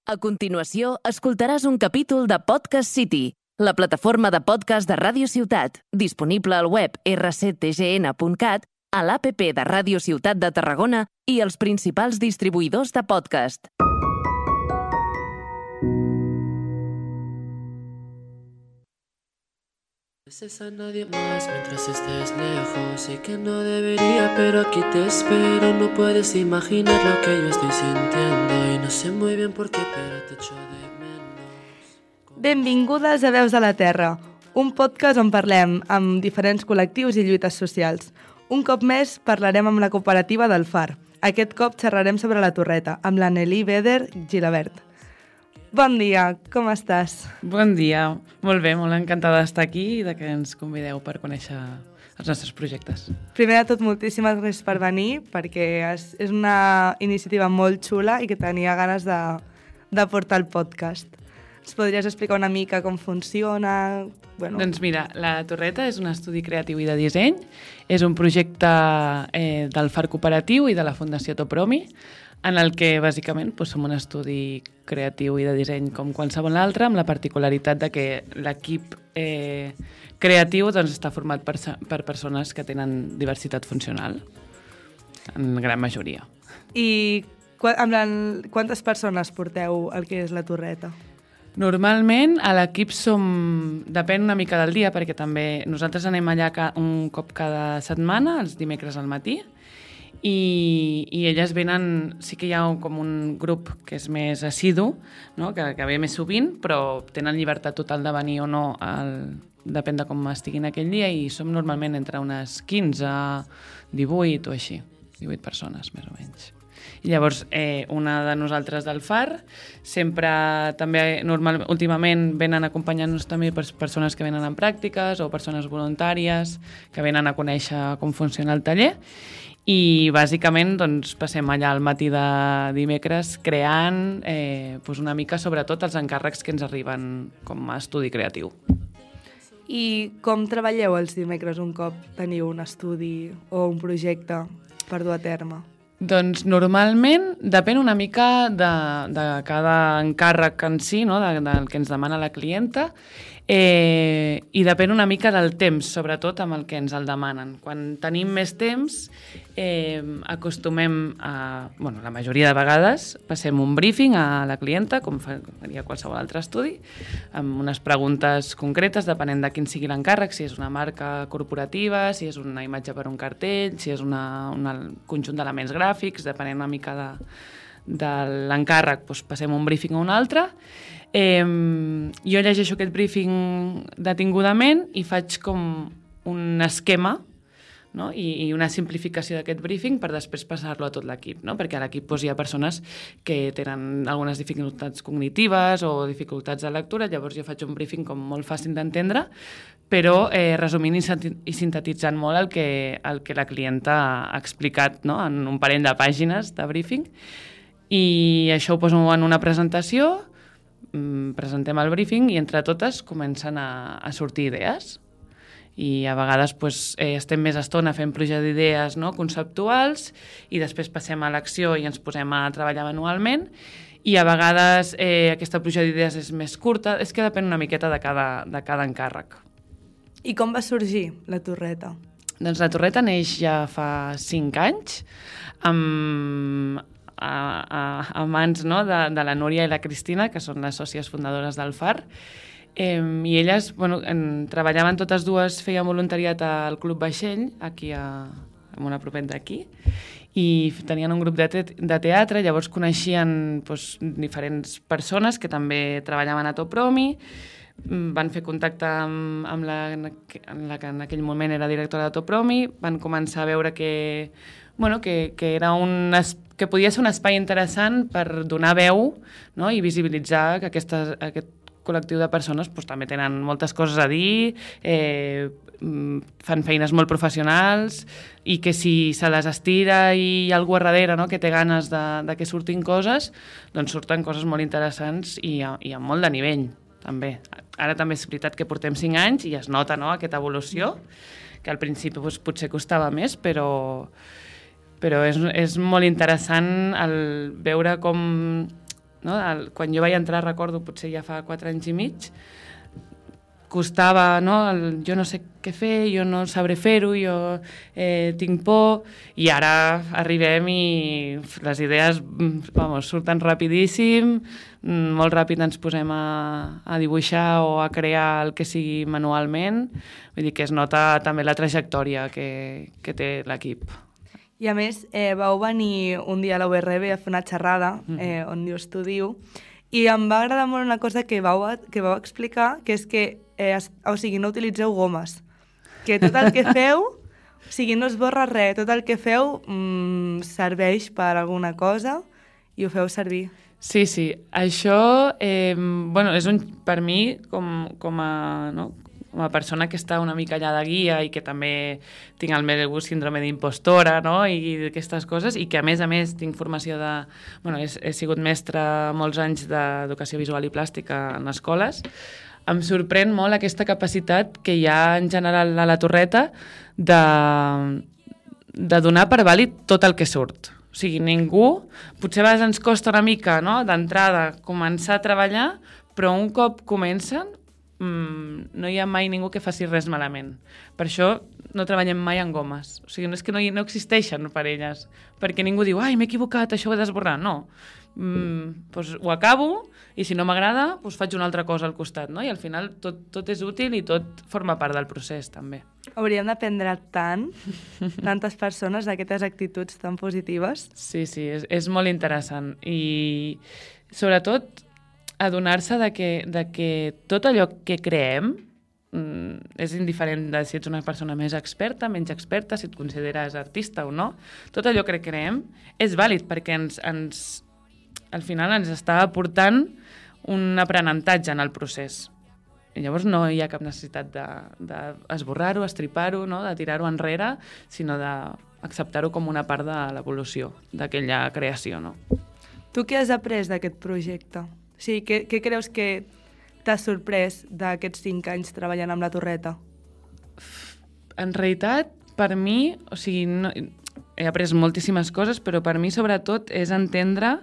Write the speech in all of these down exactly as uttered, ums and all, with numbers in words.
A continuació, escoltaràs un capítol de Podcast City, la plataforma de podcast de Ràdio Ciutat, disponible al web erre ce te ge ene punt cat, a l'A P P de Ràdio Ciutat de Tarragona i els principals distribuïdors de podcast. Beses a nadie más mientras estés lejos. Sé que no debería, pero aquí te espero. No puedes imaginar lo que yo estoy sintiendo y no sé muy bien por qué, pero te echo de menos. Benvingudes a Veus de la Terra, un podcast on parlem amb diferents col·lectius i lluites socials. Un cop més parlarem amb la cooperativa del Far. Aquest cop xerrarem sobre la Torreta, amb la Nelly Beder Gilabert. Bon dia, com estàs? Bon dia, molt bé, molt encantada d'estar aquí i de que ens convideu per conèixer els nostres projectes. Primer de tot, moltíssimes gràcies per venir, perquè és, és una iniciativa molt xula i que tenia ganes de, de portar el podcast. Ens podries explicar una mica com funciona? Bueno... Doncs mira, la Torreta és un estudi creatiu i de disseny, és un projecte eh, del Far Cooperatiu i de la Fundació Topromi, en el que, bàsicament, doncs, som un estudi creatiu i de disseny com qualsevol altre, amb la particularitat de que l'equip eh, creatiu doncs, està format per, per persones que tenen diversitat funcional, en gran majoria. I amb la, quantes persones porteu el que és la Torreta? Normalment a l'equip som... Depèn una mica del dia, perquè també nosaltres anem allà un cop cada setmana, els dimecres al matí, I, i elles venen, sí que hi ha com un grup que és més assidu, no? que, que ve més sovint, però tenen llibertat total de venir o no, el, depèn de com estiguin aquell dia, i som normalment entre unes quinze, divuit o així, divuit persones més o menys. I llavors, eh, una de nosaltres del Far, sempre també, normal, últimament venen acompanyant-nos també per persones que venen en pràctiques o persones voluntàries que venen a conèixer com funciona el taller. I bàsicament doncs, passem allà al matí de dimecres creant eh, doncs una mica sobretot els encàrrecs que ens arriben com a estudi creatiu. I com treballeu els dimecres un cop teniu un estudi o un projecte per dur a terme? Doncs normalment depèn una mica de, de cada encàrrec en si, no? de, del que ens demana la clienta, eh, i depèn una mica del temps, sobretot amb el que ens el demanen. Quan tenim més temps, eh, acostumem a... Bueno, la majoria de vegades passem un briefing a la clienta, com faria qualsevol altre estudi, amb unes preguntes concretes, depenent de quin sigui l'encàrrec, si és una marca corporativa, si és una imatge per un cartell, si és una, una, un conjunt d'elements gràfics, depenent una mica de, de l'encàrrec, doncs passem un briefing a un altre. Eh, jo llegeixo aquest briefing detingudament i faig com un esquema, no? I, i una simplificació d'aquest briefing per després passar-lo a tot l'equip, no? Perquè a l'equip doncs, hi ha persones que tenen algunes dificultats cognitives o dificultats de lectura, llavors jo faig un briefing com molt fàcil d'entendre, però eh, resumint i sintetitzant molt el que, el que la clienta ha explicat, no? En un parell de pàgines de briefing, i això ho poso en una presentació, presentem el briefing i entre totes comencen a, a sortir idees. I a vegades pues, eh, estem més estona fent pluja d'idees, no? conceptuals, i després passem a l'acció i ens posem a treballar manualment, i a vegades eh, aquesta pluja d'idees és més curta, és que depèn una miqueta de cada, de cada encàrrec. I com va sorgir la Torreta? Doncs la Torreta neix ja fa cinc anys, amb... A, a, a mans no? de, de la Núria i la Cristina, que són les sòcies fundadores del Far, eh, i elles bueno, en, treballaven totes dues, feien voluntariat al Club Vaixell, aquí a, a una propet d'aquí, i tenien un grup de, te de teatre, llavors coneixien doncs, diferents persones que també treballaven a Topromi, van fer contacte amb, amb la, amb la que en aquell moment era directora de Topromi, van començar a veure que, bueno, que, que, era un, que podia ser un espai interessant per donar veu, no? I visibilitzar que aquesta, aquest col·lectiu de persones doncs, també tenen moltes coses a dir, eh, fan feines molt professionals, i que si se les estira i hi ha algú a darrere, no? Que té ganes de, de que surtin coses, doncs surten coses molt interessants i, i amb molt de nivell. També. Ara també és veritat que portem cinc anys i es nota, no? Aquesta evolució, que al principi doncs, potser costava més, però, però és, és molt interessant el veure com no? El, quan jo vaig entrar, recordo, potser ja fa quatre anys i mig, costava, no? El, jo no sé què fer, jo no sabré fer-ho, jo eh, tinc por, i ara arribem i les idees vamos, surten rapidíssim, molt ràpid ens posem a, a dibuixar o a crear el que sigui manualment, vull dir que es nota també la trajectòria que, que té l'equip. I a més, eh, vau venir un dia a la U R B a fer una xerrada, eh, on jo estudio, i em va agradar molt una cosa que vau, que vau explicar, que és que eh, es, o sigui, no utilitzeu gomes, que tot el que feu, o sigui, no es borra res, tot el que feu mm, serveix per alguna cosa i ho feu servir. Sí, sí, això eh, bueno, és un, per mi, com, com a... No? com a persona que està una mica allà de guia i que també tinc el meu síndrome d'impostora, no? I aquestes coses, i que a més a més tinc formació de... Bueno, he, he sigut mestra molts anys d'educació visual i plàstica en escoles. Em sorprèn molt aquesta capacitat que hi ha en general a la Torreta de, de donar per vàlid tot el que surt. O sigui, ningú... Potser a vegades ens costa una mica, no?, d'entrada començar a treballar, però un cop comencen Mm, no hi ha mai ningú que faci res malament. Per això no treballem mai en gomes. O sigui, no és que no, hi, no existeixen per elles, perquè ningú diu, ai, m'he equivocat, això ho he d'esborrar. No. Mm, doncs ho acabo i si no m'agrada, doncs faig una altra cosa al costat, no? I al final tot, tot és útil i tot forma part del procés, també. Hauríem d'aprendre tant, tantes persones, d'aquestes actituds tan positives. Sí, sí, és, és molt interessant. I sobretot adonar-se de que, de que tot allò que creem mm, és indiferent de si ets una persona més experta, menys experta, si et consideres artista o no. Tot allò que creem és vàlid perquè ens, ens, al final ens està aportant un aprenentatge en el procés. I llavors no hi ha cap necessitat d'esborrar-ho, de estripar-ho, no? De tirar-ho enrere, sinó d'acceptar-ho com una part de l'evolució d'aquella creació. No? Tu què has après d'aquest projecte? O sigui, què, què creus que t'ha sorprès d'aquests cinc anys treballant amb la Torreta? En realitat, per mi, o sigui, no, he après moltíssimes coses, però per mi, sobretot, és entendre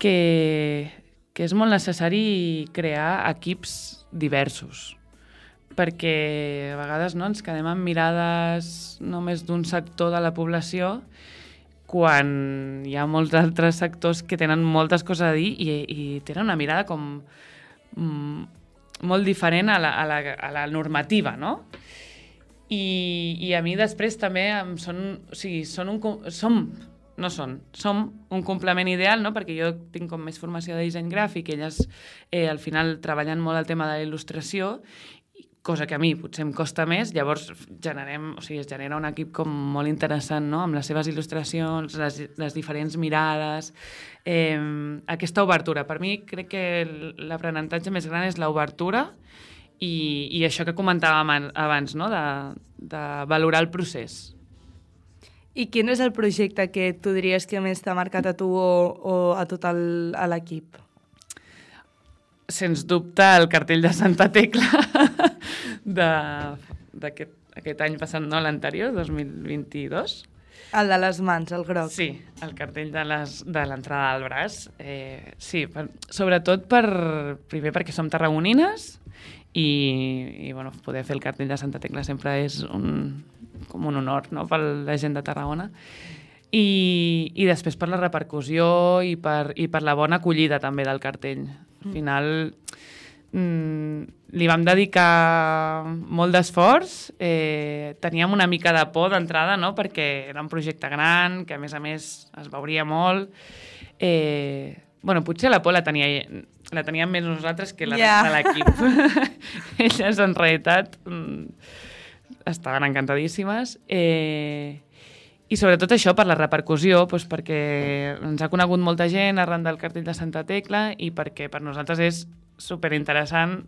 que, que és molt necessari crear equips diversos, perquè a vegades no, ens quedem amb mirades només d'un sector de la població quan hi ha molts altres sectors que tenen moltes coses a dir i, i tenen una mirada com mm, molt diferent a la, a la, a la normativa, no? I, i a mi després també em són, o sigui, són un, som, no són, som un complement ideal, no? Perquè jo tinc com més formació de disseny gràfic, elles eh, al final treballen molt el tema de la il·lustració, cosa que a mi potser em costa més, llavors generem, o sigui, es genera un equip com molt interessant, no? Amb les seves il·lustracions, les, les diferents mirades, eh, aquesta obertura. Per mi crec que l'aprenentatge més gran és l'obertura i, i això que comentàvem abans, no? de, de valorar el procés. I quin és el projecte que tu diries que més t'ha marcat a tu o, o a tot l'equip? Sens dubte, el cartell de Santa Tecla d'aquest aquest any passat, no, l'anterior, dos mil vint-i-dos. El de les mans, el groc. Sí, el cartell de l'entrada al braç. Eh, sí, per, sobretot per, primer perquè som tarragonines i, i bueno, poder fer el cartell de Santa Tecla sempre és un, com un honor, no?, per la gent de Tarragona. I, i després per la repercussió i per, i per la bona acollida també del cartell. Al final mm, li vam dedicar molt d'esforç, eh, teníem una mica de por d'entrada, no?, perquè era un projecte gran, que a més a més es veuria molt. Eh, bueno, potser la por la, tenia, la teníem més nosaltres que la yeah. de l'equip. Elles en realitat mm, estaven encantadíssimes. Eh, I sobretot això, per la repercussió, doncs perquè ens ha conegut molta gent arran del cartell de Santa Tecla i perquè per nosaltres és superinteressant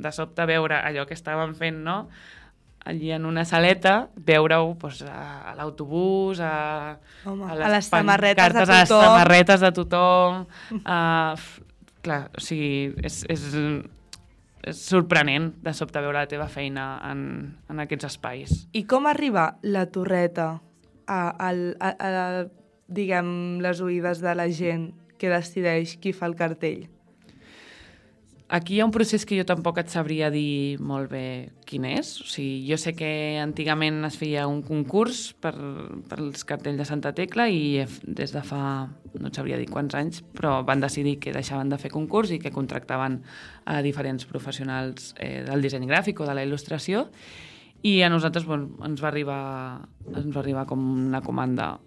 de sobte veure allò que estàvem fent, no?, allí en una saleta, veure-ho doncs, a, a l'autobús, a, Home, a, les a les samarretes de tothom. A les samarretes de tothom. A, clar, o sigui, és, és, és sorprenent de sobte veure la teva feina en, en aquests espais. I com arriba la Torreta a, a, a, a diguem, les oïdes de la gent que decideix qui fa el cartell? Aquí hi ha un procés que jo tampoc et sabria dir molt bé quin és. O sigui, jo sé que antigament es feia un concurs per, per als cartells de Santa Tecla i des de fa, no et sabria dir quants anys, però van decidir que deixaven de fer concurs i que contractaven a diferents professionals eh, del disseny gràfic o de la il·lustració, i a nosaltres bueno, ens va arribar, ens va arribar com una comanda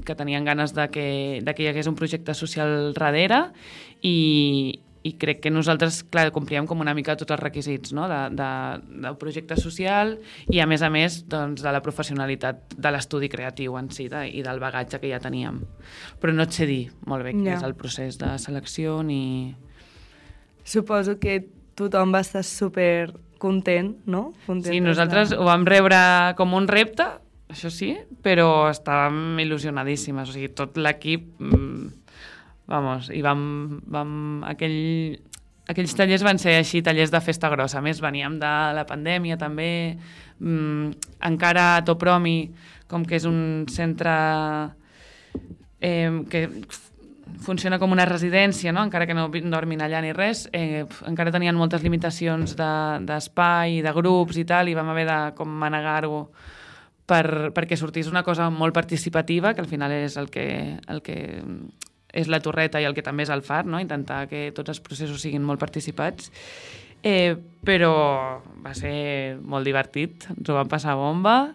que tenien ganes de que, de que hi hagués un projecte social darrere i, i crec que nosaltres, clar, complíem com una mica tots els requisits, no? de, de, del projecte social i, a més a més, doncs, de la professionalitat de l'estudi creatiu en si de, i del bagatge que ja teníem. Però no et sé dir molt bé quin Ja. és el procés de selecció ni... Suposo que tothom va estar super content, no? Content Sí, nosaltres ho vam rebre com un repte, això sí, però estàvem il·lusionadíssimes. O sigui, tot l'equip... Mmm, vamos, i vam... vam aquell, aquells tallers van ser així, tallers de festa grossa. A més, veníem de la pandèmia, també. Mm, encara a Topromi, com que és un centre eh, que funciona com una residència, no? Encara que no dormin allà ni res, eh, encara tenien moltes limitacions d'espai, de, de grups i tal, i vam haver de com manegar-ho per, perquè sortís una cosa molt participativa, que al final és el que, el que és la torreta i el que també és el far, no? Intentar que tots els processos siguin molt participats. Eh, però va ser molt divertit, ens ho vam passar bomba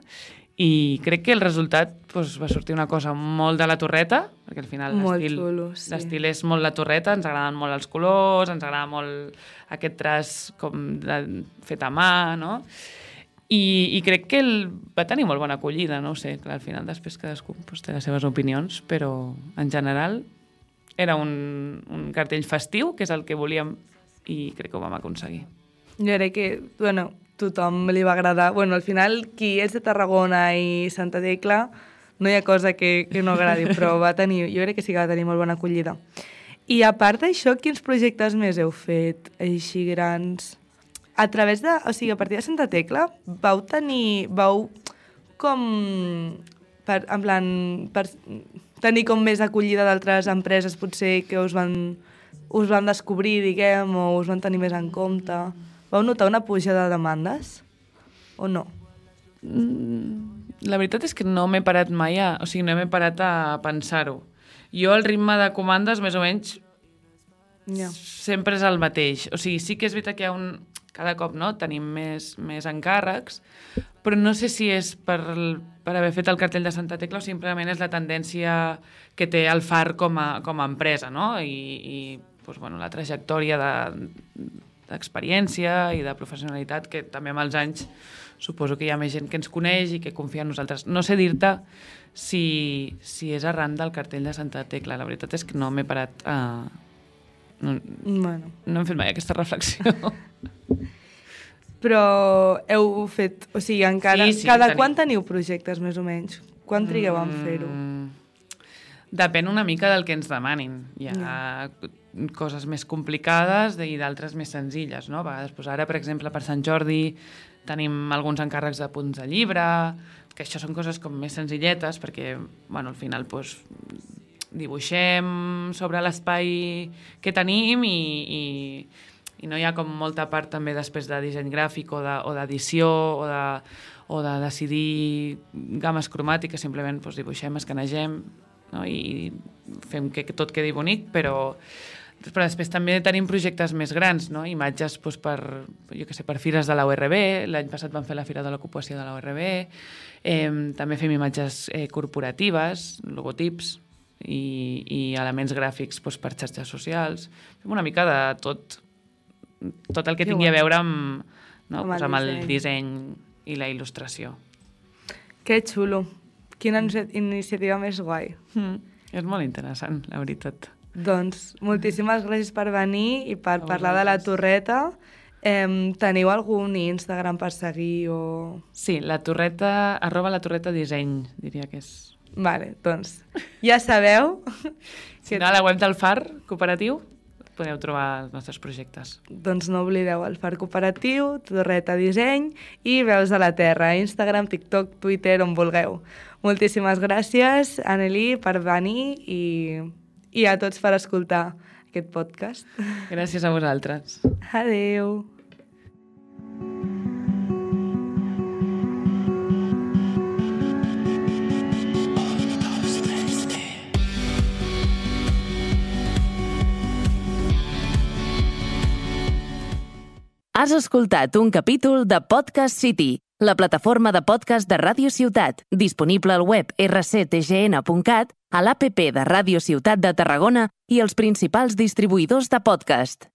i crec que el resultat doncs, va sortir una cosa molt de la torreta, perquè al final l'estil sí. l'estil és molt la torreta, ens agraden molt els colors, ens agrada molt aquest traç com de, fet a mà, no? I, i crec que el, va tenir molt bona acollida, no ho sé, clar, al final després cadascú doncs, té les seves opinions, però en general era un, un cartell festiu, que és el que volíem, i crec que ho vam aconseguir. Jo crec que, bueno, tothom li va agradar. Bueno, al final, qui és de Tarragona i Santa Tecla, no hi ha cosa que, que no agradi, però va tenir, jo crec que sí que va tenir molt bona acollida. I a part d'això, quins projectes més heu fet, així grans? A través de, o sigui, a partir de Santa Tecla, vau tenir, vau com, per, en plan, per tenir com més acollida d'altres empreses, potser que us van... us van descobrir, diguem, o us van tenir més en compte? Vau notar una pujada de demandes? O no? La veritat és que no m'he parat mai a... O sigui, no m'he parat a pensar-ho. Jo, el ritme de comandes, més o menys, Ja. sempre és el mateix. O sigui, sí que és veritat que hi ha un... Cada cop, no?, tenim més, més encàrrecs, però no sé si és per, per haver fet el cartell de Santa Tecla o simplement és la tendència que té el Far com a, com a empresa, no?, i, i doncs, bueno, la trajectòria d'experiència de, i de professionalitat que també amb els anys suposo que hi ha més gent que ens coneix i que confia en nosaltres. No sé dir-te si, si és arran del cartell de Santa Tecla. La veritat és que no m'he parat a... No, Bueno. no hem fet mai aquesta reflexió. Però heu fet... O sigui, encara... Sí, sí, cada tenim. quan teniu projectes, més o menys? Quan trigueu en fer-ho? Mm, depèn una mica del que ens demanin. Hi ha coses més complicades i d'altres més senzilles, no? A vegades, doncs ara, per exemple, per Sant Jordi tenim alguns encàrrecs de punts de llibre, que això són coses com més senzilletes, perquè, bueno, al final, doncs, dibuixem sobre l'espai que tenim i, i, i no hi ha com molta part també després de disseny gràfic o de, o d'edició o de, o de decidir games cromàtiques, simplement doncs, dibuixem, escanegem, no? I fem que tot quedi bonic, però, però després també tenim projectes més grans, no? Imatges doncs, per, jo què sé, per fires de la U R B, l'any passat vam fer la Fira de l'Ocupació de la U R B, eh, també fem imatges eh, corporatives, logotips, i, i elements gràfics doncs, per xarxes socials. Fem una mica de tot, tot el que Que tingui guai. a veure amb, no? Amb el Pues amb el disseny. disseny i la il·lustració. Que xulo. Quina iniciativa més guai. Mm. És molt interessant, la veritat. Doncs moltíssimes gràcies per venir i per A parlar de la vosaltres. torreta. Eh, teniu algun Instagram per seguir o...? Sí, la torreta, arroba la torreta disseny, diria que és. Vale, doncs ja sabeu Si no, a la web del Far Cooperatiu podeu trobar els nostres projectes. doncs no oblideu el Far Cooperatiu, Torreta Disseny i Veus de la Terra, Instagram, TikTok, Twitter, on vulgueu. Moltíssimes gràcies, Anneli, per venir i, i a tots per escoltar aquest podcast. Gràcies a vosaltres. Adeu. Has escoltat un capítol de Podcast City, la plataforma de podcast de Ràdio Ciutat, disponible al web erre ce te ge ene punt cat, a l'app de Ràdio Ciutat de Tarragona i els principals distribuïdors de podcast.